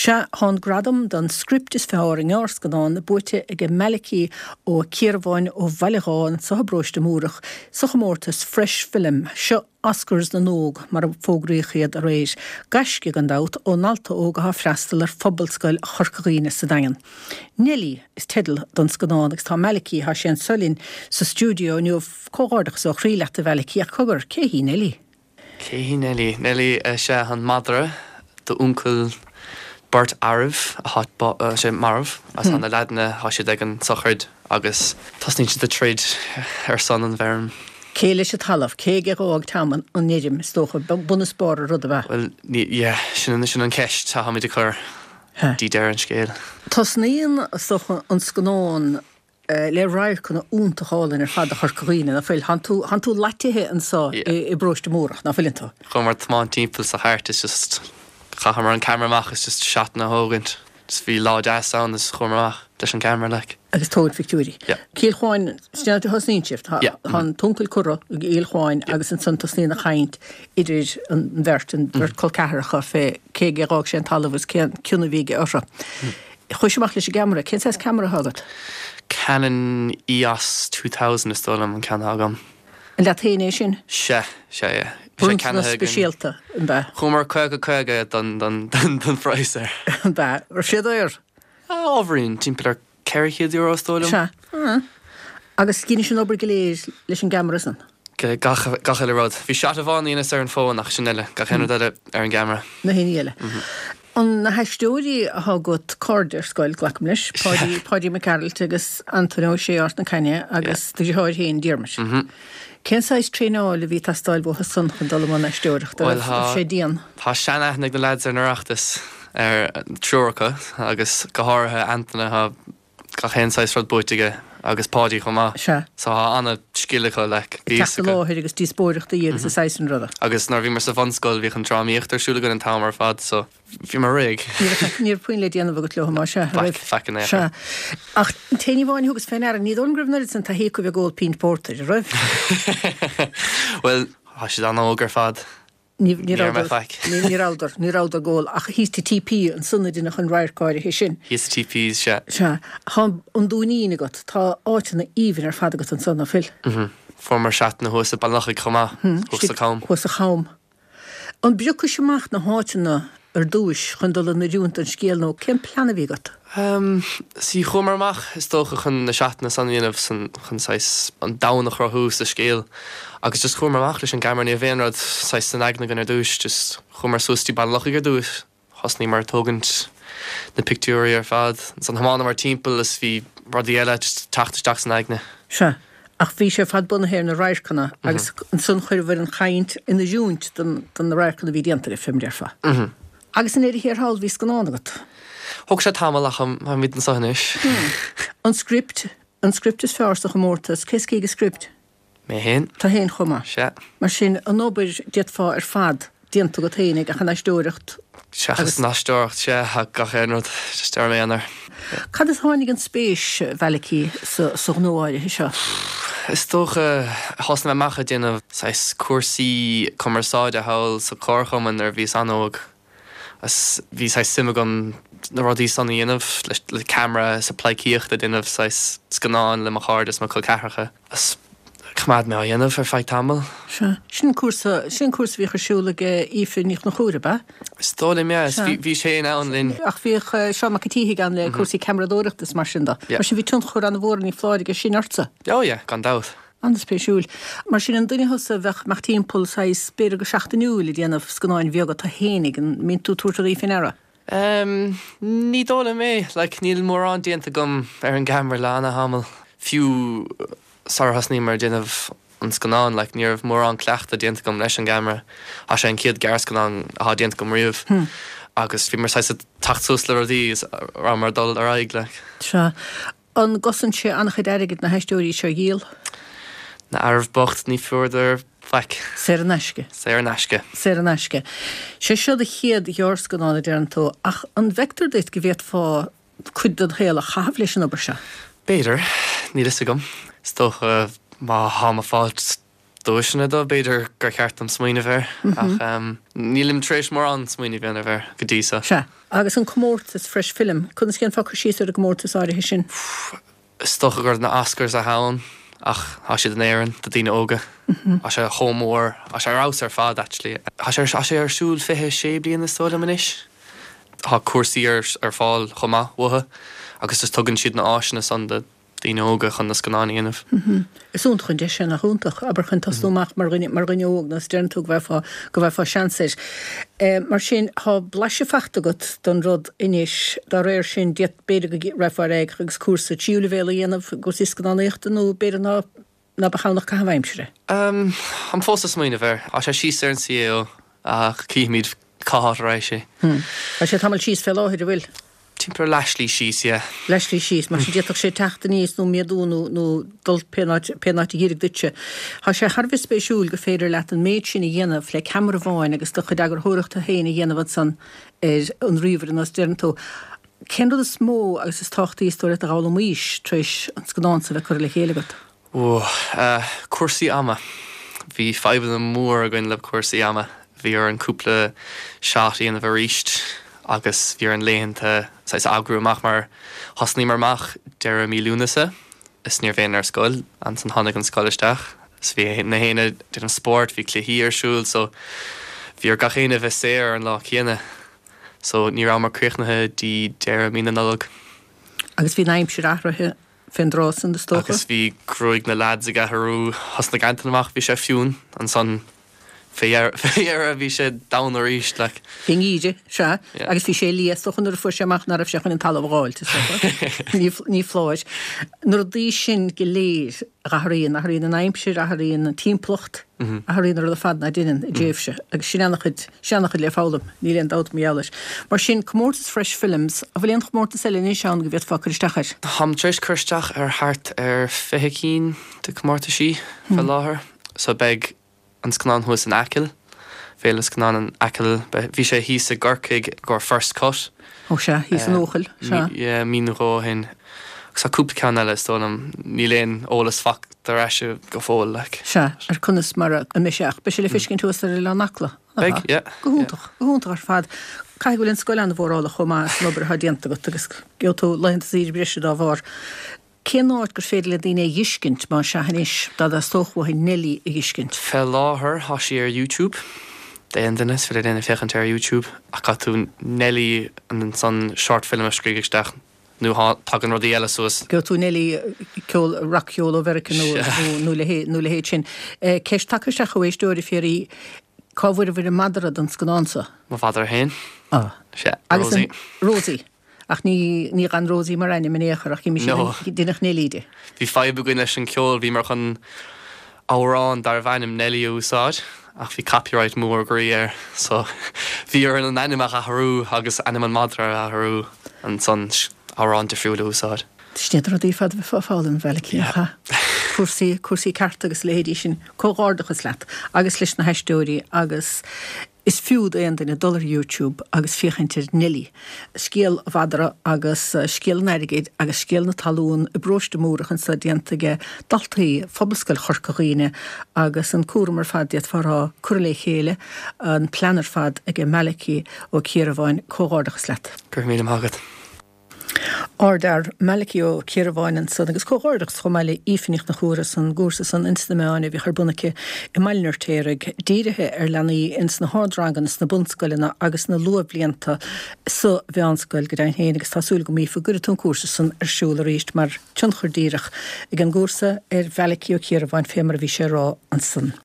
Sea, tá an gradam don script is fearr i ngearrscannán buaite aige Malachy Ó Ciarbháin ó Bhaile Dháith anso i bparóiste Múrach sa chomórtas Fresh Film. Seo Oscars na nÓg, mar a fógraíodh iad aréir. Gaisce, gan dabht, ó ndalta óg atá ag freastal ar Phobalscoil Chorca Dhuibhne sa Daingean. Neilí is teideal don scannán agus tá Malachy, tá sé anso linn sa stiúideo inniu. Comhghairdeachas ó chroí leat a Mhalachy ach cogar, cé hí Neilí? Cé hí Neilí? Neilí is ea an madra d'uncail beirt fhearaibh atá sé marbh agus tá na leaideanna, tá siad ag an sochraid agus tosnaíonn siad ag troid ar son an bhfeirm. Cé leis an talamh? Cé aige a dh'fhág Tom an fheirm, is dócha? Bun is barr an ruda, ab ea? Bhuel, ní, yeah, sin, sin an cheist atáimid ag cur dtí deireadh an scéil. Tosnaíonn, is dócha, an scannán le radharcanna iontach álainn ar fad de Chorca Dhuibhne, ná fuil? Tánn tú, tánn tú loitithe anso i bparóiste Múrach, ná fuileann tú? Chuamar ag tiomáint timpeall sa chairt is just chaitheamar an camera amach is just seatanna a thógaint. Just bhí lá deas ann is chuamar amach leis an gceamara like. Agus tógaint pictiúirí. Yeah. Cill Chuáin, sin an áit a thosnaíonn sibh. Tá Yeah. tá an t-uncail curtha i gCill Chuáin agus ansan tosnaíonn an chaint idir an bheirt, an bheirt col ceathracha fé cé aige a dh'fhág sé an talamh agus cén cion a bhí aige orthu. Chuais amach leis an gceamara. Cén saghas ceamara atá agat? Canon EOS 2000 is dóigh liom an ceann atá agam. An leat féin é sin? Sea, sea, yeah. Bhí sé Bronntanas ceannaithe againn. speisialta, an b'ea? Chuamar 50 50 don, don, don, don phraghas air. An b'ea? Raibh sé daor? Ábhairín, timpeall ar €400 is dóigh liom. Sea. Ah. Agus dheinis an obair go léir leis an gceamara san? Gach, gach uile rud. Bhí shot amháin a dheineas ar an bhfón ach sin uile, gach aon rud eile ar an gceamara. Na haon ní eile. An na haisteoirí atá agat, cairde ar scoil, glacaim leis, Páidí, Páidí Mac Gearailt agus Antaine Ó Sé Ard na Caithne agus do dheartháir féin, Diarmuid. Cén saghas traenáil a bhí ag teastáil uathu san chun dul i mbun aisteoireachta? An raibh sé dian? Tá sean-aithne ag na leaids ar an Oireachtas, ar triúr acu, agus go háirithe Antaine, tá gach aon saghas rud buaite aige agus Páidí chomh maith. Sea. So tá ana-scil acu, like, bhí fhios Teacht i acu. láthair agus díospóireachtaí agus a saghas sin ruda. Agus nuair a bhíomar sa bhunscoil bhíodh an drámaíocht ar siúl againn an t-am ar fad so bhíomar réidh. Ní raibh faic, ní raibh puinn le déanamh agat leo, má sea, Faic, raibh? faic in aon chor. Sea. Ach an t-aon ní amháin a thugas fé ndeara, ní dóigh liom go raibh an oiread san taithí acu a bheith ag ól pínt pórtair, an raibh? Bhuel, tá siad an-óg ar fad. Ní rabhadar, ní rabhadar, ní rabhadar ag ól ach thíos sa TP ansan a deineadh an radharc áirithe sin. Thíos sa TP, sea. Sea. Tá an Dúinín agat, tá áiteanna aoibhinn ar fad agat ansan, ná fuil? Mhm. Fuaireamar seatanna thuas i Baile an Lochaigh chomh maith, thuas sa Cham. Thuas sa Cham. An bpriocais amach na háiteanna ar dtúis chun dul in oiriúint don scéal nó cén plean a bhí agat? Sea, chuamar amach, is dócha, chun na seatanna san a dhéanamh san, chun saghas an domhan a chruthú sa scéal. Agus just chuamar amach leis an gceamara, ní raibh aon rud saghas san aigne againn ar dtúis, just chuamar suas dtí Baile an Lochaigh ar dtúis, thosnaíomar ag tógaint na pictiúirí ar fad, ansan thiomáineamar timpeall is bhí rudaí eile just ag teacht isteach san aigne. Sea, ach bhí sé ar fad bunaithe ar na radharcanna agus ansan chuireabhair an chaint in oiriúint don na radharcanna a bhí déanta agaibh, fé mar a déarfá. Agus i ndeireadh thiar thall bhí scannán agat. Thóg sé tamall ach táimid anseo anois. An script, an script is fearr sa chomórtas, cé is cé ag an script? Mé féin. Tú féin chomh maith. Sea. Mar sin, an obair, d'fhéadfá ar fad, déanta agat féin ach an aisteoireacht Seachas an aisteoireacht, sea, ach gach aon rud, just ar m'aonar. Cad as a tháinig an spéis, a Mhalachy, sa ghnó áirithe seo? Is dócha, thosnaigh mé amach ag déanamh saghas cúrsaí cumarsáide thall sa Chomharchumann nuair a bhíos an-óg. Agus bhí saghas suim agam na rudaí san a dhéanamh, le ceamara is ag pleidhcíocht ag déanamh saghas scannáin le mo chairde is mo chol ceathracha. Agus choimeád mé á dhéanamh ar feadh tamaill. Sea. Sin an cúrsa, sin an cúrsa a bhíodh ar siúl ag Aoife Ní Chonchúir, ab ea? Is dóigh liom, yeah. Sea. Bhí sé in ann linn. Ach bhíodh Seán Mac an tSíthigh ann le cúrsaí ceamaradóireachta is mar sin de. Yeah. Mar sin bhí tionchar an-mhór, ní foláir, aige sin ortsa. Oh yeah, gan dabht. An-spéisiúil. Mar sin, an duine thusa a bheadh amach timpeall, saghas, b'fhéidir go seachtainiúil ag déanamh scannáin bheaga tú fhéinig, an mbíonn tú ag tabhairt rudaí fé ndeara? Em, ní dóigh liom é. Like, níl mórán déanta agam ar an gceamara le ana-thamall. Fiú sara thosnaíomar ag déanamh an scannáin, like, ní raibh mórán cleachtadh déanta agam leis an gceamara. Tá sé an chéad gearrscannán atá déanta agam riamh. Agus bhíomar saghas ag teacht suas le rudaí is rabhamar ag dul ar aghaidh, like. Sea. An gcosann sé an-chuid airgid na haisteoirí seo a dhíol? Na fhearaibh bocht ní fuaireadar faic. Saor in aisce. Saor in aisce. Saor in aisce. Sé seo do chéad ghearrscannán, a deireann tú, ach an bhfeictear duit go bhféadfá cuid den shaol a chaitheamh leis an obair seo? B'fhéidir. Níl fhios agam. Is dócha má tháim ag fáilt. duaiseanna dó, b'fhéidir gur cheart dom smaoineamh air, ach nílim tar éis mórán smaoineamh a dhéanamh air go dtí so. Sea. Agus an comórtas Fresh Film, conas dhéanfá cur síos ar an gcomórtas áirithe sin? Is dócha gur na Oscars atá ann ach tá siad in Éirinn do daoine óga. Tá sé chomh mór, tá sé ar fheabhas ar fad actually. Tá sé tá sé ar siúl 26 bliain is dóigh liom anois. Tá cúrsaí ar ar fáil chomh maith uathu agus just tugann siad na áiseanna san do daoine óga chun na scannáin a dhéanamh. Is iontach an deis é, nach iontach? Abair chun tosnú amach mar dhuine, mar dhuine óg, nó is deireann tú go bhfaighfeá, go bhfaighfeá seans air. Mar sin, tá blaiseadh faighte agat don rud anois, dá réir sin, d'fhéad, b'fhéidir go rachfá ar aghaidh agus cúrsa tríú leibhéal a dhéanamh i gcúrsaí scannánaíochta nó b'fhéidir ná, ná beadh ann ach caitheamh aimsire. Táim fós ag smaoineamh air. Tá sé síos ar an CAO ach cífimid cá háit a raghaidh sé. Tá sé tamall síos fé láthair, an bhfuil? Timpeall ar leathshlí síos, yeah. Leathshlí síos, mar sin d'fhéadfadh sé teacht aníos nó méadú nó nó dul pé áit pé áit a dh'oirfeadh duitse. Tá sé thar a bheith spéisiúil gur féidir leat an méid sin a dhéanamh le ceamara amháin agus do chuid eagarthóireachta féin a dhéanamh ansan ar an ríomhaire nó is deireann tú. Cén rud is mó agus is tábhachtaí is dóigh leat a dh'fhoghlaimís tar éis an scannán so a bheith curtha le chéile agat? Ó, cúrsaí ama. Bhí fadhbanna mór againn le cúrsaí ama. Bhí orainn cúpla shot a dhéanamh arís agus bhí orainn laethanta saghas a eagrú amach mar thosnaíomar amach deireadh mí Lúnasa is ní raibh éinne ar scoil. Ansan tháinig an scoil isteach is bhí na héinne ag déanamh spóirt, bhí cluichí ar siúl so bhí ar gach éinne a bheith saor ar an lá céanna. So ní rabhamar críochnaithe dtí deireadh mí na Nollag. Agus bhí an aimsir athraithe fén dtráth san, is dócha. Agus bhí gruaig na leaids ag athrú, thosnaigh Antain amach, bhí sé fionn, ansan fé dheireadh bhí sé donn arís, like. Bhí an geimhreadh, sea, agus bhí sé liath, is dócha, nuair a fuair sé amach ná raibh sé chun an talamh a dh'fháilt, is dócha. Ní foláir. Na rudaí sin go léir a athraíonn, athraíonn an aimsir, athraíonn an timpeallacht, athraíonn an rud ar fad ná deineann i dtréimhse, agus sin ana-chuid. Sin ana-chuid le foghlaim, níl aon dabht mar gheall air. Mar sin, comórtas Fresh Films, an bhfuil aon chomórtas eile anois ann go bhféadfá cur isteach air? Táim tar éis cur isteach ar thart ar 20 cinn de comórtaisí fé láthair. So beidh an scannán thuas in Acaill, Féile Scannán in Acaill, bhí sé thíos i gCorcaigh i gcomhair First Cut. Ó sea, thíos in Eochaill, sea. Yeah, mí nó dhó ó shin. Agus tá cúpla ceann eile is dóigh liom, níl aon eolas faighte ar ais go fóill, like. Sea, ar conas mar a mbeidh sé ach beidh sé le feiscint thuas ar Oileán Acla, nach ea? Beidh, yeah. Go hiontach, go hiontach ar fad. Caithfidh go bhfuil an scoil an-mhórálach chomh maith as an obair atá déanta agat agus gheobhaidh tú laethanta saoire breise dá bharr. Cén áit gur féidir le daoine é a dh'fheiscint, más ea anois, dá dteastódh uathu Neilí a dh'fheiscint? Fé láthair tá sí ar YouTube. D'aon duine, is féidir le éinne féachaint ar YouTube ach caithfidh tú Neilí ansan short film a scríobh isteach nó tagann rudaí eile suas. Gheobhaidh tú Neilí, ceol, rac-cheol ó Mheiriceá nó nó nó a leithéid sin. Ceist tagtha isteach ó éisteoir a fiafraí, cá bhfuaireabhair an madra don scannán so? Mo mhadra féin. Ah. Sea, Rosie. Rosie. Ach ní, ní gan Rosie mar ainm in aon chor, ach d'imigh No. deineadh Neilí di. Bhí fadhb againn leis an ceol, bhíomar chun amhrán darbh ainm Nelly a úsáid, ach bhí copyright mór groí air, so bhí orainn an ainm a athrú agus ainm an madra a athrú, ansan amhrán difriúil a úsáid. Sin iad na rudaí ar fad a bheifeá ag foghlaim, a Mhalachy, nach ea? Cúrsaí, cúrsaí cearta agus a leithéidí sin. Comhghairdeachas leat agus leis na haisteoirí agus Is fiú d'aon duine dul ar YouTube agus féachaint ar Neilí, scéal an mhadra agus scéal an airgid agus scéal na talún i bparóiste Múrach anso déanta age daltaí Phobalscoil Chorca Dhuibhne agus an cúram ar fad d'fhéadfá a rá curtha le chéile, an plean ar fad age Malachy Ó Ciarabháin. Comhghairdeachas leat. Go raibh míle maith agat. Ardfhear Malachy Ó Ciarabháin ansan agus comhghairdeachas chomh maith le Aoife Ní Chonchúir as an gcúrsa san ins na meáin a bhíodh ar bun aici i mBaile an Fheirtéaraigh, dírithe ar leanaí ins na hardranganna sna bunscoileanna agus sna luathbhlianta sa mheánscoil go deimhin féin agus tá súil agam Aoife go gcuirfidh tú an cúrsa san ar siúl arís mar tionchar díreach ag an gcúrsa ar Mhalachy Ó Ciarabháin fé mar a bhí sé a rá ansan.